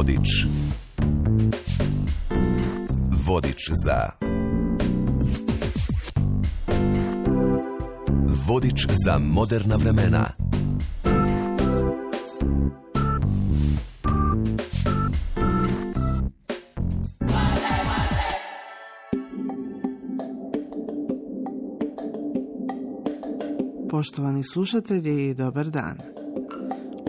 Vodič. Vodič za... Vodič za moderna vremena. Poštovani slušatelji, dobar dan.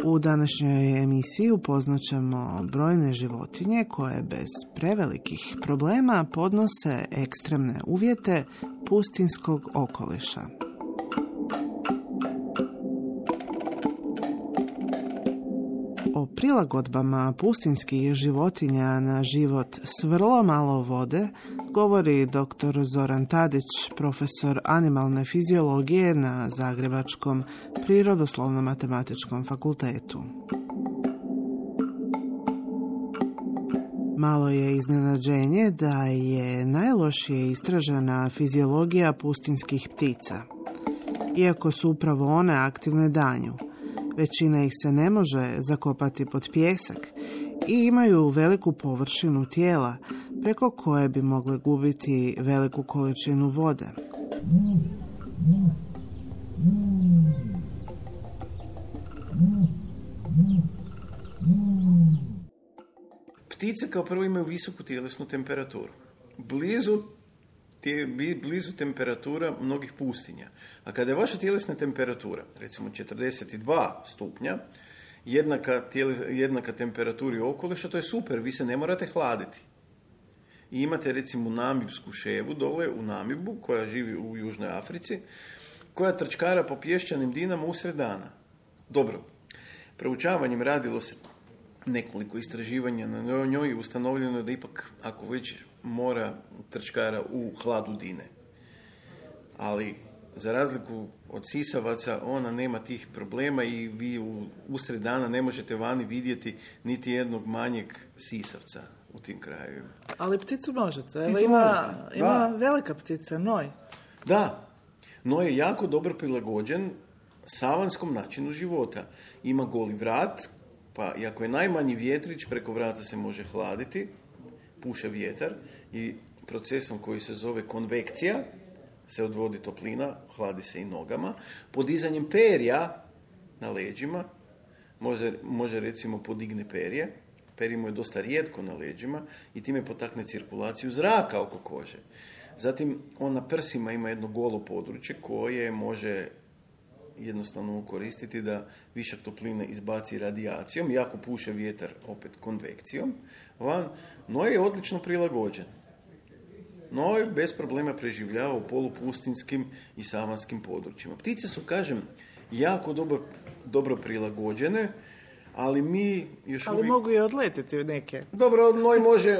U današnjoj emisiji upoznat ćemo brojne životinje koje bez prevelikih problema podnose ekstremne uvjete pustinjskog okoliša. O prilagodbama pustinjskih životinja na život s vrlo malo vode govori dr. Zoran Tadić, profesor animalne fiziologije na Zagrebačkom Prirodoslovno-matematičkom fakultetu. Malo je iznenađenje da je najlošije istražena fiziologija pustinjskih ptica. Iako su upravo one aktivne danju, većina ih se ne može zakopati pod pijesak i imaju veliku površinu tijela preko koje bi mogle gubiti veliku količinu vode. Ptice kao prvo imaju visoku tjelesnu temperaturu. Blizu temperatura mnogih pustinja. A kada je vaša tjelesna temperatura, recimo 42 stupnja, jednaka temperaturi okoliša, to je super, vi se ne morate hladiti. I imate recimo namibsku ševu dole u Namibu, koja živi u Južnoj Africi, koja trčkara po pješčanim dinama usred dana. Dobro, proučavanjem radilo se nekoliko istraživanja na njoj i ustanovljeno je da ipak, ako već mora, trčkara u hladu dine. Ali, za razliku od sisavaca, ona nema tih problema i vi usred dana ne možete vani vidjeti niti jednog manjeg sisavca u tim krajevima. Ali pticu možete. Ima velika ptica, noj. Da, noj je jako dobro prilagođen savanskom načinu života. Ima goli vrat, pa i ako je najmanji vjetrić, preko vrata se može hladiti, puše vjetar i procesom koji se zove konvekcija se odvodi toplina, hladi se i nogama. Podizanjem perja na leđima može recimo podigne perje. Perje mu je dosta rijetko na leđima i time potakne cirkulaciju zraka oko kože. Zatim on na prsima ima jedno golo područje koje može jednostavno koristiti da višak topline izbaci radijacijom, jako puše vjetar opet konvekcijom van. Noj je odlično prilagođen. Noj bez problema preživljava u polupustinskim i savanskim područjima. Ptice su, kažem, jako dobro prilagođene, ali mi još uvijek... Ali mogu i odletiti neke. Dobro, noj može...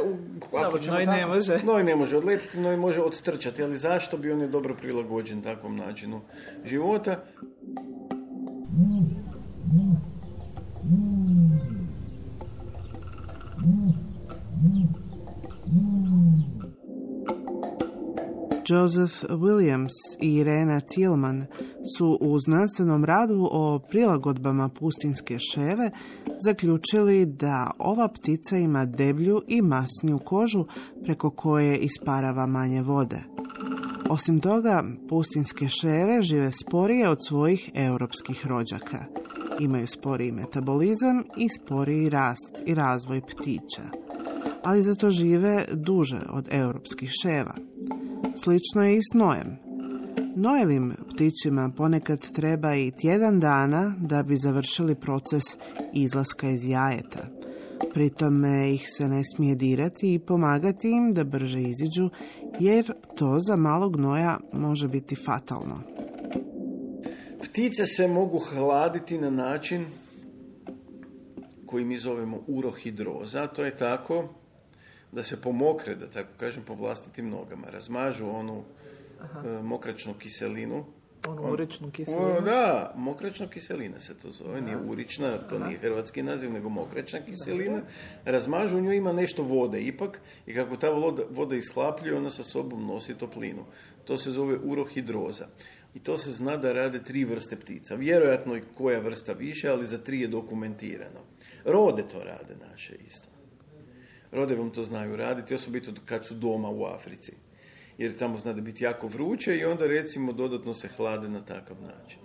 Noj ne može odletiti, noj može odtrčati, ali zašto bi on je dobro prilagođen takvom načinu života? Joseph Williams i Irena Tillman su u znanstvenom radu o prilagodbama pustinjske ševe zaključili da ova ptica ima deblju i masniju kožu preko koje isparava manje vode. Osim toga, pustinjske ševe žive sporije od svojih europskih rođaka. Imaju sporiji metabolizam i sporiji rast i razvoj ptića, ali zato žive duže od europskih ševa. Slično je i s nojem. Nojevim ptićima ponekad treba i tjedan dana da bi završili proces izlaska iz jajeta. Pritome ih se ne smije dirati i pomagati im da brže iziđu, jer to za malog noja može biti fatalno. Ptice se mogu hladiti na način koji mi zovemo urohidroza. To je tako da se pomokre, da tako kažem, po vlastitim nogama. Razmažu onu mokračnu kiselinu. Onu uričnu kiselinu? Da, mokračna kiselina se to zove. Nije urična, to nije hrvatski naziv, nego mokračna kiselina. Razmažu, u njoj ima nešto vode ipak i kako ta voda ishlapljuje, ona sa sobom nosi toplinu. To se zove urohidroza. I to se zna da rade 3 vrste ptica. Vjerojatno i koja vrsta više, ali za 3 je dokumentirano. Rode to rade naše isto. Rode vam to znaju raditi, osobito kad su doma u Africi. Jer tamo zna da biti jako vruće i onda recimo dodatno se hlade na takav način.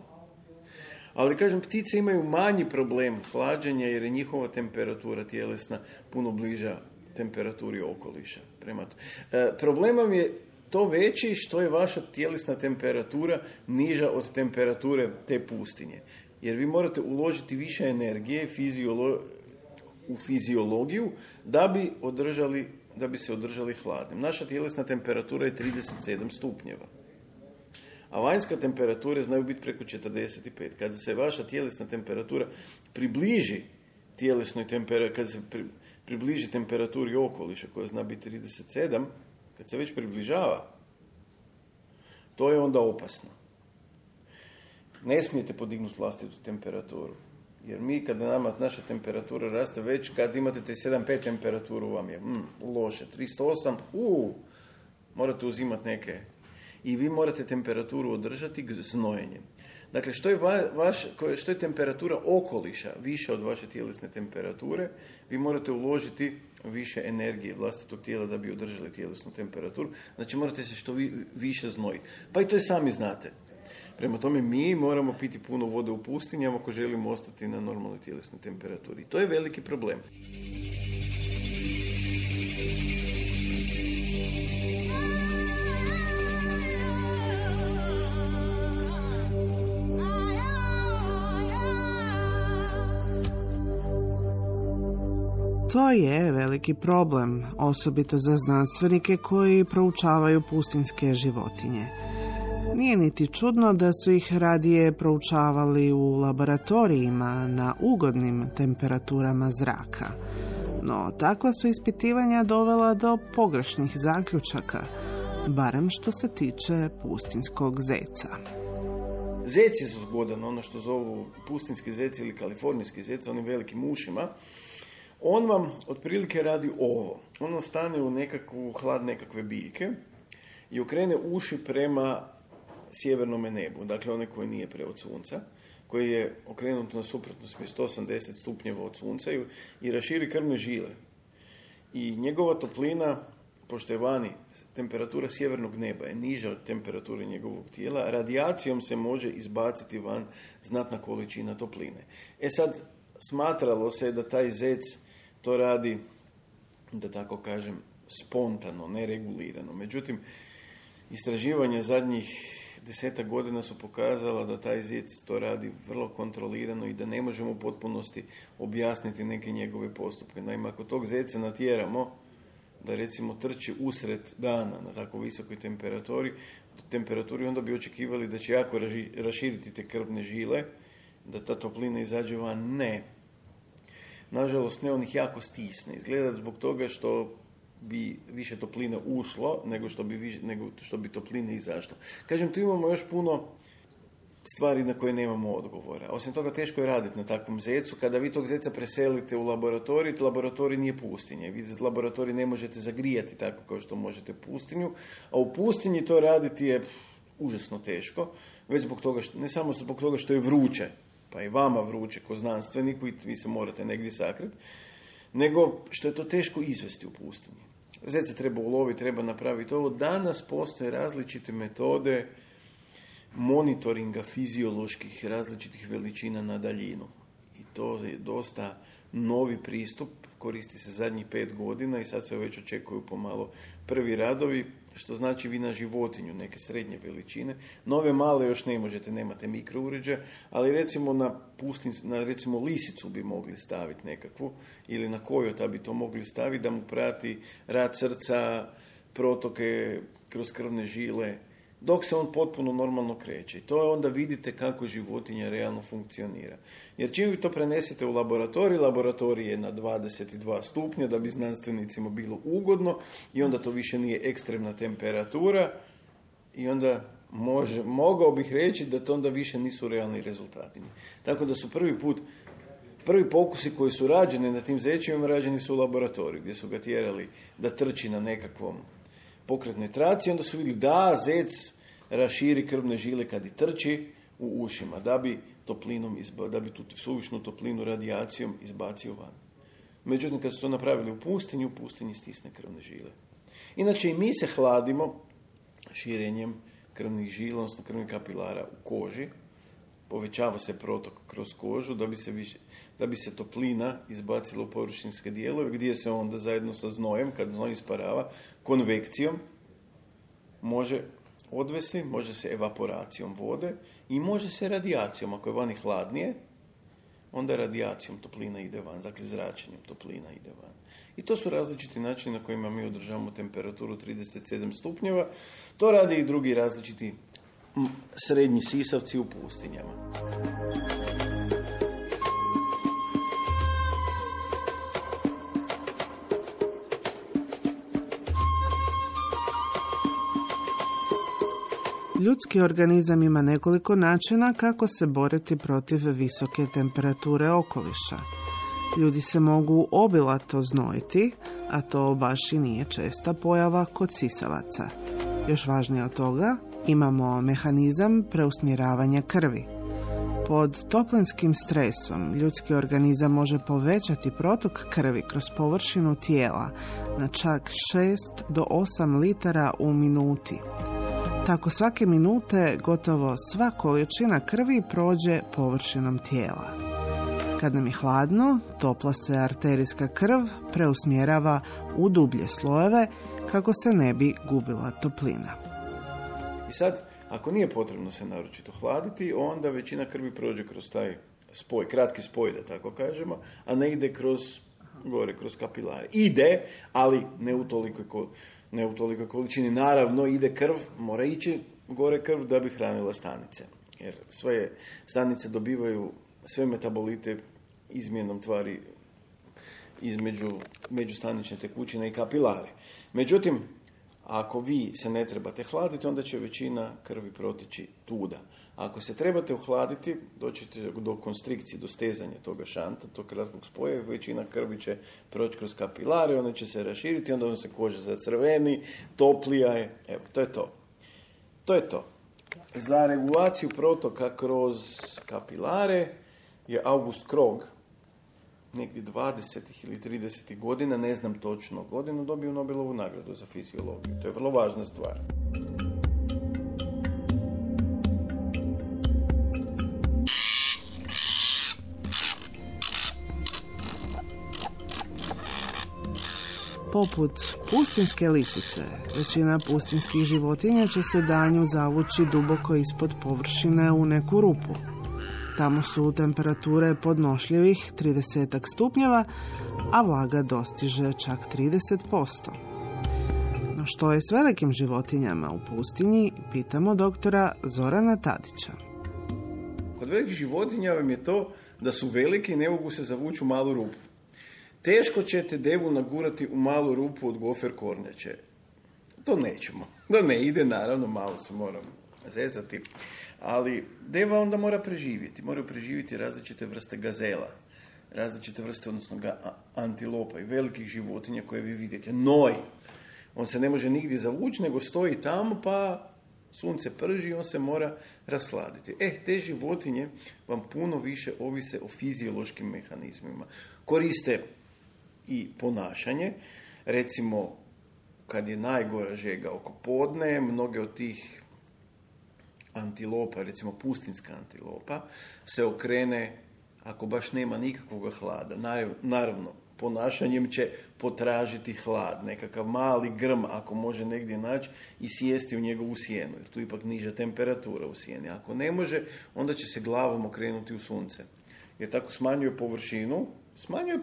Ali kažem, ptice imaju manji problem hlađenja jer je njihova temperatura tjelesna puno bliža temperaturi okoliša. Problem vam je to veći što je vaša tjelesna temperatura niža od temperature te pustinje. Jer vi morate uložiti više energije u fiziologiju da bi se održali hladnim. Naša tjelesna temperatura je 37 stupnjeva. A vanjska temperature znaju biti preko 45. Kada se vaša tjelesna temperatura približi tjelesnoj temperaturi, kada se približi temperaturi okoliša koja zna biti 37, kad se već približava, to je onda opasno. Ne smijete podignuti vlastitu temperaturu. Jer mi, kada nama naša temperatura raste već, kad imate 37,5 temperaturu, vam je loše. 308, morate uzimati neke. I vi morate temperaturu održati znojenjem. Dakle, što je temperatura okoliša više od vaše tjelesne temperature, vi morate uložiti više energije vlastitog tijela da bi održali tjelesnu temperaturu. Znači, morate se što više znojiti. Pa i to i sami znate. Prema tome, mi moramo piti puno vode u pustinjama ako želimo ostati na normalnoj tjelesnoj temperaturi. To je veliki problem. To je veliki problem, osobito za znanstvenike koji proučavaju pustinjske životinje. Nije niti čudno da su ih radije proučavali u laboratorijima na ugodnim temperaturama zraka. No, takva su ispitivanja dovela do pogrešnih zaključaka, barem što se tiče pustinjskog zeca. Zec je zgodan, ono što zovu pustinjski zec ili kalifornijski zec, onim velikim ušima. On vam otprilike radi ovo. On vam stane u hlad nekakve biljke i okrene uši prema sjevernom nebu, dakle one koje nije od sunca, koji je okrenut na suprotnu smjer 180 stupnjeva od sunca i raširi krvne žile. I njegova toplina, pošto je vani, temperatura sjevernog neba je niža od temperature njegovog tijela, radijacijom se može izbaciti van znatna količina topline. Sad, smatralo se da taj zec to radi, da tako kažem, spontano, neregulirano. Međutim, istraživanja zadnjih 10 godina su pokazala da taj zec to radi vrlo kontrolirano i da ne možemo u potpunosti objasniti neke njegove postupke. Naime, ako tog zeca natjeramo da recimo trči usred dana na tako visokoj temperaturi, onda bi očekivali da će jako raširiti te krvne žile, da ta toplina izađe van. Ne. Nažalost, ne, on ih jako stisne. Izgleda zbog toga što bi više topline ušlo nego što bi topline izašlo. Kažem, tu imamo još puno stvari na koje nemamo odgovora. Osim toga, teško je raditi na takvom zecu. Kada vi tog zeca preselite u laboratorij nije pustinje. Vi laboratorij ne možete zagrijati tako kao što možete pustinju, a u pustinji to raditi je užasno teško, već zbog toga ne samo zbog toga što je vruće, pa i vama vruće ko znanstveniku i vi se morate negdje sakriti, nego što je to teško izvesti u pustinji. Zeca treba uloviti, treba napraviti ovo. Danas postoje različite metode monitoringa fizioloških različitih veličina na daljinu. I to je dosta novi pristup, koristi se zadnjih 5 godina i sad se već očekuju pomalo prvi radovi, što znači vi na životinju, neke srednje veličine. Nove male još ne možete, nemate mikrouređaja, ali recimo na recimo lisicu bi mogli staviti nekakvu, ili na kojota bi to mogli staviti da mu prati rad srca, protoke kroz krvne žile, dok se on potpuno normalno kreće. I to je onda vidite kako životinja realno funkcionira. Jer čim vi to prenesete u laboratorij je na 22 stupnja da bi znanstvenicima bilo ugodno i onda to više nije ekstremna temperatura i onda mogao bih reći da to onda više nisu realni rezultati. Tako da su prvi pokusi koji su rađeni na tim zečevima rađeni su u laboratoriju gdje su ga tjerali da trči na nekakvom pokretnoj traci, onda su vidjeli da zec raširi krvne žile kad i trči u ušima, da bi tu suvišnu toplinu radijacijom izbacio van. Međutim, kad su to napravili u pustinji stisne krvne žile. Inače, i mi se hladimo širenjem krvnih žila, odnosno krvnih kapilara u koži. Povećava se protok kroz kožu da bi se toplina izbacila u površinske dijelove, gdje se onda zajedno sa znojem, kad znoj isparava, konvekcijom može odvesti, može se evaporacijom vode i može se radijacijom. Ako je vani hladnije, onda radijacijom toplina ide van, dakle zračenjem toplina ide van. I to su različiti načini na kojima mi održavamo temperaturu 37 stupnjeva. To rade i drugi različiti srednji sisavci u pustinjama. Ljudski organizam ima nekoliko načina kako se boriti protiv visoke temperature okoliša. Ljudi se mogu obilato znojiti, a to baš i nije česta pojava kod sisavaca. Još važnije od toga, imamo mehanizam preusmjeravanja krvi. Pod toplinskim stresom ljudski organizam može povećati protok krvi kroz površinu tijela na čak 6 do 8 litara u minuti. Tako svake minute gotovo sva količina krvi prođe površinom tijela. Kad nam je hladno, topla se arterijska krv preusmjerava u dublje slojeve kako se ne bi gubila toplina. I sad, ako nije potrebno se naročito hladiti, onda većina krvi prođe kroz taj spoj, kratki spoj, da tako kažemo, a ne ide kroz kapilare. Ide, ali ne u tolikoj količini. Naravno, ide krv, mora ići gore krv da bi hranila stanice. Jer sve stanice dobivaju sve metabolite izmjenom tvari između međustanične tekućine i kapilare. Međutim, ako vi se ne trebate hladiti, onda će većina krvi protići tuda. Ako se trebate ohladiti, doćete do konstrikcije, do stezanja toga šanta, tog kratkog spoja, većina krvi će proći kroz kapilare, ona će se raširiti, onda se koža zacrveni, toplija je. Evo, to je to. To je to. Za regulaciju protoka kroz kapilare je August Krog, negdje 20. ili 30. godina, ne znam točno godinu, dobio Nobelovu nagradu za fiziologiju. To je vrlo važna stvar. Poput pustinske lisice, većina pustinskih životinja će se danju zavući duboko ispod površine u neku rupu. Tamo su temperature podnošljivih 30 stupnjeva, a vlaga dostiže čak 30%. No što je s velikim životinjama u pustinji, pitamo doktora Zorana Tadića. Kod velikih životinja vam je to da su velike i ne mogu se zavući u malu rupu. Teško ćete devu nagurati u malu rupu od gofer kornjače. To nećemo. Da ne ide, naravno, malo se moram zezati. Ali deva onda mora preživjeti. Moraju preživjeti različite vrste gazela. Različite vrste, odnosno antilopa i velikih životinja koje vi vidite. Noj. On se ne može nigdje zavući, nego stoji tamo, pa sunce prži i on se mora rashladiti. Te životinje vam puno više ovise o fiziološkim mehanizmima. Koriste i ponašanje. Recimo, kad je najgora žega oko podne, mnoge od tih antilopa, recimo pustinska antilopa, se okrene, ako baš nema nikakvog hlada. Naravno, ponašanjem će potražiti hlad, nekakav mali grm, ako može negdje naći, i sjesti u njegovu sjenu, jer tu ipak niža temperatura u sjeni. Ako ne može, onda će se glavom okrenuti u sunce. Jer tako smanjuje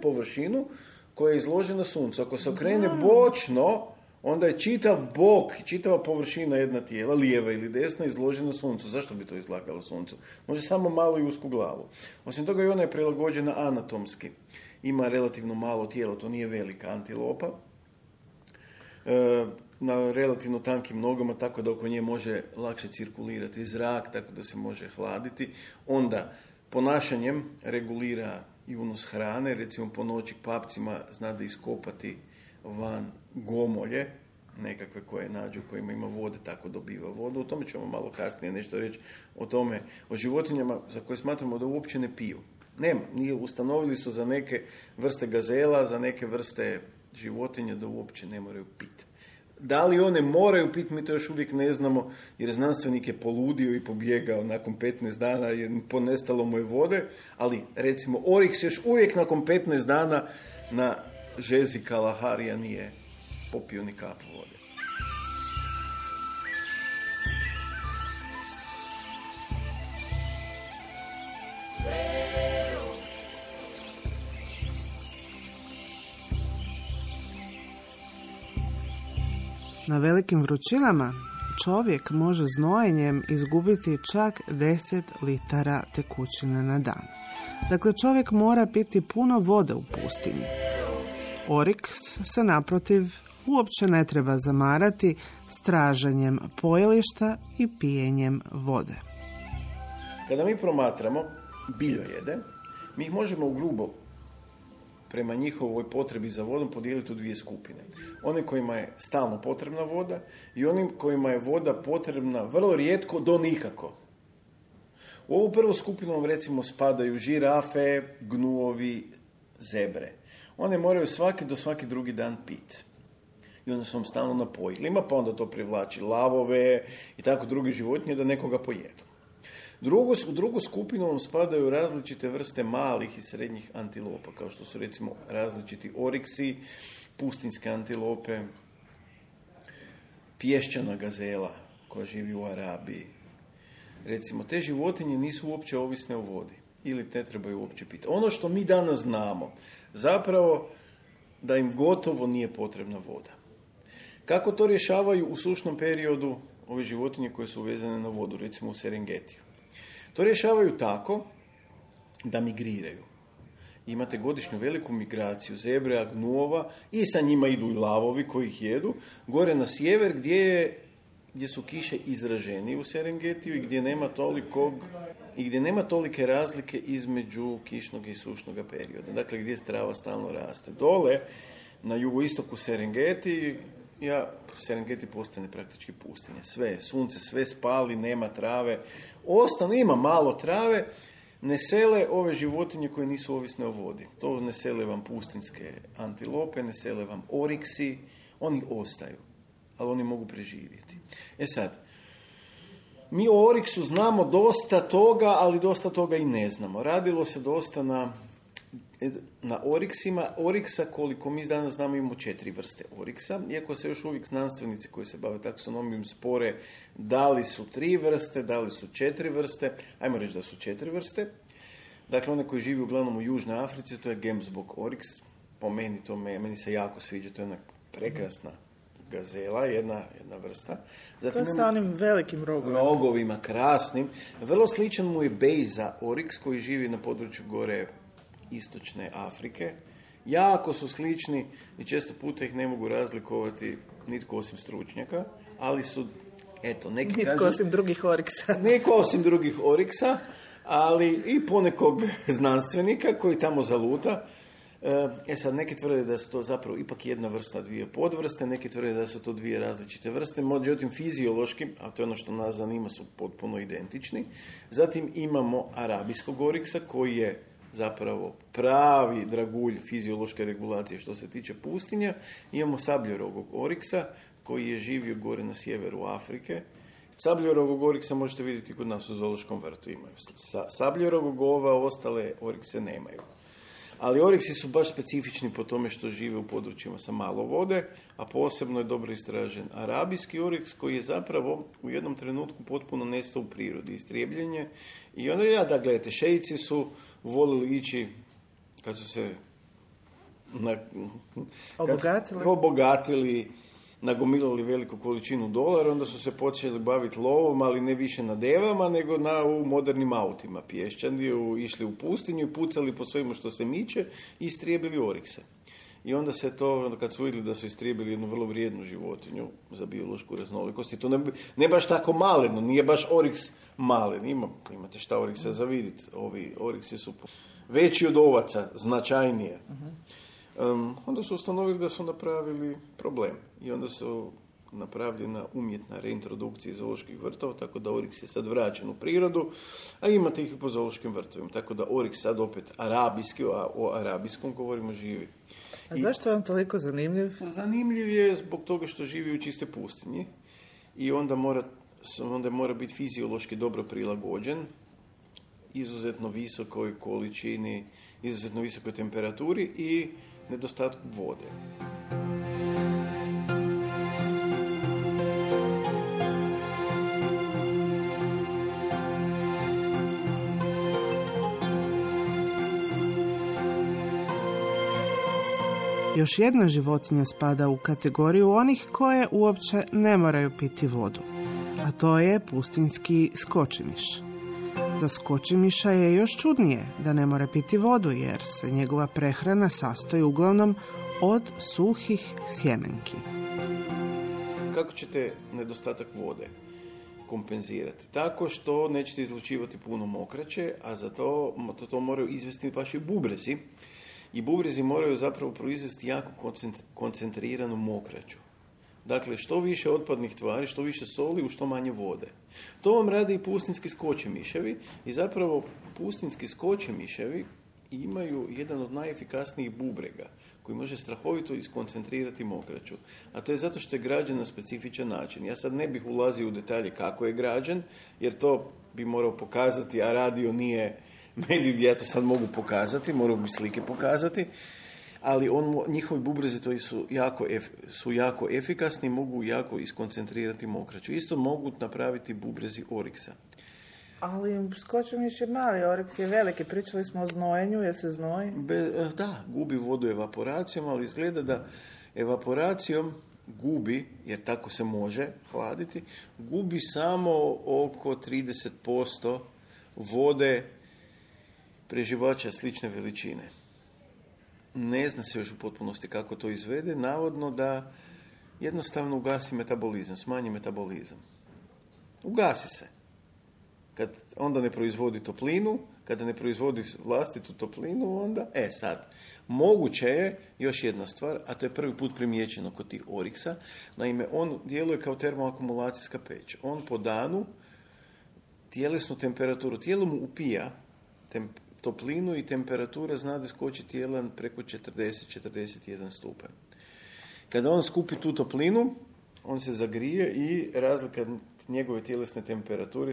površinu koja je izložena suncu. Ako se okrene bočno, onda je čitav bok, čitava površina jedna tijela, lijeva ili desna, izložena suncu. Zašto bi to izlagalo suncu? Može samo malo i usku glavu. Osim toga i ona je prilagođena anatomski. Ima relativno malo tijelo, to nije velika antilopa. Na relativno tankim nogama, tako da oko nje može lakše cirkulirati zrak, tako da se može hladiti. Onda ponašanjem regulira i unos hrane, recimo po noći papcima zna da iskopati van gomolje, nekakve koje nađu, kojima ima vode, tako dobiva vodu. O tome ćemo malo kasnije nešto reći, o životinjama za koje smatramo da uopće ne piju. Nema. Ustanovili su za neke vrste gazela, za neke vrste životinja da uopće ne moraju piti. Da li one moraju piti, mi to još uvijek ne znamo, jer znanstvenik je poludio i pobjegao nakon 15 dana, jer ponestalo mu je vode, ali recimo Oriks još uvijek nakon 15 dana na žezi Kalaharija nije popio ni kapu vode. Na velikim vrućinama čovjek može znojenjem izgubiti čak 10 litara tekućine na dan. Dakle, čovjek mora piti puno vode u pustinji. Oriks se naprotiv uopće ne treba zamarati s traženjem pojelišta i pijenjem vode. Kada mi promatramo biljojede, mi ih možemo ugrubo prema njihovoj potrebi za vodom podijeliti u dvije skupine. One kojima je stalno potrebna voda i onim kojima je voda potrebna vrlo rijetko do nikako. U ovu prvu skupinu vam recimo spadaju žirafe, gnuovi, zebre. One moraju svaki drugi dan piti. I onda su vam stalno na pojilima, pa onda to privlači lavove i tako drugi životinje da nekoga pojedu. U drugu skupinu vam spadaju različite vrste malih i srednjih antilopa, kao što su recimo različiti oriksi, pustinske antilope, pješčana gazela koja živi u Arabiji. Recimo, te životinje nisu uopće ovisne o vodi ili ne trebaju uopće piti. Ono što mi danas znamo, zapravo da im gotovo nije potrebna voda. Kako to rješavaju u sušnom periodu ove životinje koje su vezane na vodu, recimo u Serengetiju? To rješavaju tako da migriraju. Imate godišnju veliku migraciju zebra, gnuova i sa njima idu i lavovi koji ih jedu, gore na sjever gdje su kiše izraženije u Serengetiju i gdje nema tolike razlike između kišnog i sušnog perioda. Dakle, gdje trava stalno raste. Dole, na jugoistoku Serengeti postane praktički pustinje. Sunce sve spali, nema trave. Ima malo trave, ne sele ove životinje koje nisu ovisne o vodi. To ne sele vam pustinske antilope, ne sele vam oriksi, oni ostaju, ali oni mogu preživjeti. sad, mi o oriksu znamo dosta toga, ali dosta toga i ne znamo. Radilo se dosta na oriksima. Oriksa, koliko mi danas znamo, imamo 4 vrste oriksa, iako se još uvijek znanstvenici koji se bave taksonomijom spore da li su 3 vrste, da li su 4 vrste. Ajmo reći da su 4 vrste. Dakle, one koji živi uglavnom u Južnoj Africi, to je Gemsbok oriks. Po meni se jako sviđa, to je jedna prekrasna gazela, jedna vrsta. Zatim, to je sa onim velikim rogovima, krasnim. Vrlo sličan mu je Bejza oriks koji živi na području gore istočne Afrike. Jako su slični i često puta ih ne mogu razlikovati nitko osim stručnjaka, ali su, nitko osim drugih oriksa. Nitko osim drugih oriksa, ali i ponekog znanstvenika koji tamo zaluta. Sad, neki tvrde da su to zapravo ipak jedna vrsta, 2 podvrste, neki tvrde da su to 2 različite vrste, međutim fiziološki, a to je ono što nas zanima, su potpuno identični. Zatim imamo arabijskog oriksa koji je zapravo pravi dragulj fiziološke regulacije što se tiče pustinja. Imamo sabljorogog oriksa koji je živio gore na sjeveru Afrike. Sabljorogog oriksa možete vidjeti kod nas u zoološkom vrtu imaju. Sabljorogog ostale orikse nemaju. Ali oriksi su baš specifični po tome što žive u područjima sa malo vode, a posebno je dobro istražen arabijski oriks koji je zapravo u jednom trenutku potpuno nestao u prirodi, istrijebljenje. I onda gledajte, šeici su volili ići kad su se obogatili, nagomilali veliku količinu dolara, onda su se počeli baviti lovom, ali ne više na devama, nego u modernim autima pješčani, išli u pustinju, pucali po svemu što se miče i istrijebili orikse. I onda se to, kad su vidjeli da su istrijebili jednu vrlo vrijednu životinju za biološku raznolikost, i to ne baš tako maleno, nije baš oriks malen, imate šta oriksa za vidjeti, ovi oriksi su veći od ovaca, značajnije. Onda su ustanovili da su napravili problem i onda su napravljena umjetna reintrodukcija iz zooloških vrtova, tako da oriks je sad vraćen u prirodu, a imate ih i po zoološkim vrtovima, tako da oriks sad opet arabijski, a o arabijskom govorimo, živi. A zašto je on toliko zanimljiv? Zanimljiv je zbog toga što živi u čistoj pustinji i onda mora biti fiziološki dobro prilagođen, izuzetno visokoj količini, izuzetno visokoj temperaturi i nedostatku vode. Još jedna životinja spada u kategoriju onih koje uopće ne moraju piti vodu, a to je pustinjski skočimiš. Za skočimiša je još čudnije da ne mora piti vodu, jer se njegova prehrana sastoji uglavnom od suhih sjemenki. Kako ćete nedostatak vode kompenzirati? Tako što nećete izlučivati puno mokraće, a za to moraju izvesti vaši bubrezi. I bubrezi moraju zapravo proizvesti jako koncentriranu mokraću. Dakle, što više otpadnih tvari, što više soli, u što manje vode. To vam rade i pustinjski skočemiševi i zapravo pustinjski skočemiševi imaju jedan od najefikasnijih bubrega koji može strahovito iskoncentrirati mokraću. A to je zato što je građen na specifičan način. Ja sad ne bih ulazio u detalje kako je građen, jer to bi morao pokazati, a radio nije medij gdje ja to sad mogu pokazati, morao bi slike pokazati, ali njihovi bubrezi su jako efikasni, mogu jako iskoncentrirati mokraću. Isto mogu napraviti bubrezi oriksa. Ali skočemiš je mali, oriks je veliki. Pričali smo o znojenju, je se znoji? Da, gubi vodu evaporacijom, ali izgleda da evaporacijom gubi, jer tako se može hladiti, gubi samo oko 30% vode preživača slične veličine. Ne zna se još u potpunosti kako to izvede, navodno da jednostavno ugasi metabolizam, smanji metabolizam. Ugasi se. Kad onda ne proizvodi toplinu, kada ne proizvodi vlastitu toplinu, onda, sad, moguće je još jedna stvar, a to je prvi put primijećeno kod tih oriksa, naime, on djeluje kao termoakumulacijska peć. On po danu tjelesnu temperaturu, tijelo mu upija toplinu i temperatura zna da skoči tijela preko 40-41 stupanj. Kada on skupi tu toplinu, on se zagrije i razlika njegove tjelesne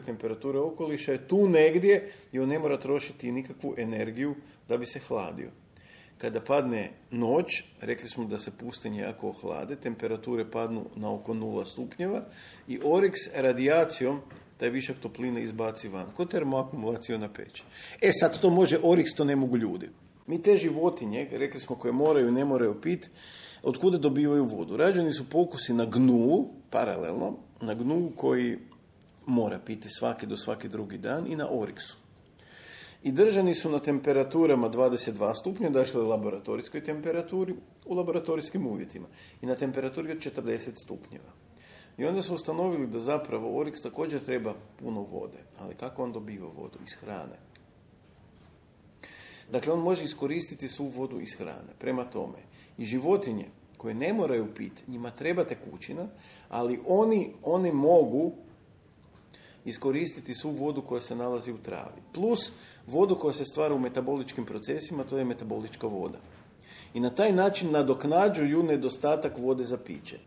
temperature okoliša je tu negdje i on ne mora trošiti nikakvu energiju da bi se hladio. Kada padne noć, rekli smo da se pustinje jako ohlade, temperature padnu na oko 0 stupnjeva i oriks radijacijom taj višak topline izbaci van, kod termoakumulacijona peć. Sad to može oriks, to ne mogu ljudi. Mi te životinje, rekli smo, koje moraju i ne moraju piti, od kuda dobivaju vodu? Rađeni su pokusi na gnu, paralelno, na gnu koji mora piti svaki drugi dan i na oriksu. I držani su na temperaturama 22 stupnja, dakle laboratorijskoj temperaturi, u laboratorijskim uvjetima. I na temperaturi od 40 stupnjeva. I onda su ustanovili da zapravo oriks također treba puno vode. Ali kako on dobiva vodu? Iz hrane. Dakle, on može iskoristiti svu vodu iz hrane. Prema tome, i životinje koje ne moraju piti, njima treba tekućina, ali oni mogu iskoristiti svu vodu koja se nalazi u travi. Plus vodu koja se stvara u metaboličkim procesima, to je metabolička voda. I na taj način nadoknađuju nedostatak vode za piće.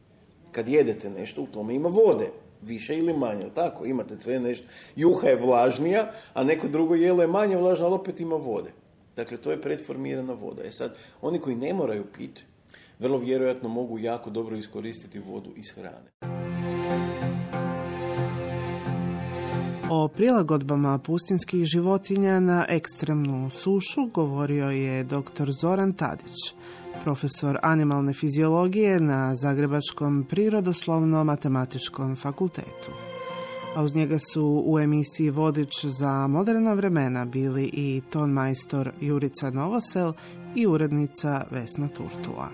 Kad jedete nešto, u tome ima vode, više ili manje, tako, imate sve nešto. Juha je vlažnija, a neko drugo jelo je manje vlažno, ali opet ima vode. Dakle, to je pretformirana voda. Sad, oni koji ne moraju piti, vrlo vjerojatno mogu jako dobro iskoristiti vodu iz hrane. O prilagodbama pustinjskih životinja na ekstremnu sušu govorio je dr. Zoran Tadić, profesor animalne fiziologije na Zagrebačkom prirodoslovno-matematičkom fakultetu. A uz njega su u emisiji Vodič za moderna vremena bili i tonmajstor Jurica Novosel i urednica Vesna Turtula.